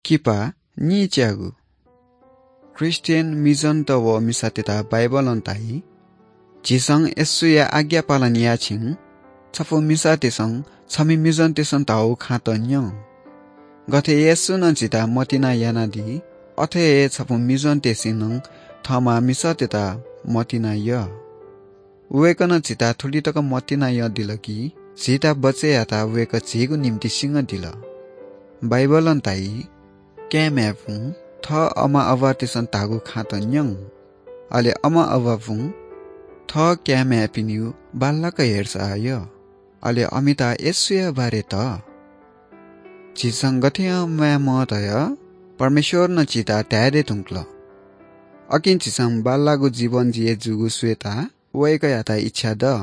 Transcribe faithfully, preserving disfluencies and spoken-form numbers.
किपा नीच्यागु। ख्रीष्टियन मिजनत व मिसातय्त बाइबलं धाइ, झीसं येशूया आज्ञा पालन याःछिं छपु मिसातय्सं छम्ह मिजनतय्सं धाःगु खँ त न्यँ। गथे येशूं झीत मतिना यानादी, अथे हे छपु मिजनतय्सं नं थःम्ह मिसातय्त मतिना यः। वय्कलं झीत थुलि तक मतिना यःदिल कि झीत बचय् यायेत वय्कः झीगु निंतिं सिंगदिल। बाइबलं धाइ, काय्म्हय्पुं थः अमा अबातय्सं धाःगु खँ त न्यँ। अले अमा अबापुं थः काय्म्हय्पिनिगु बांलाक हेरचाह यः। अले अमित येशूया बारे धाः। झीसं गथे यानाः म्वाये माः धयाः परमेश्वरं झीत धाये धुंकल। अकिं झीसं बांलाःगु जीवन जिये जूगु स्वयेत वय्कःयात इच्छा दु।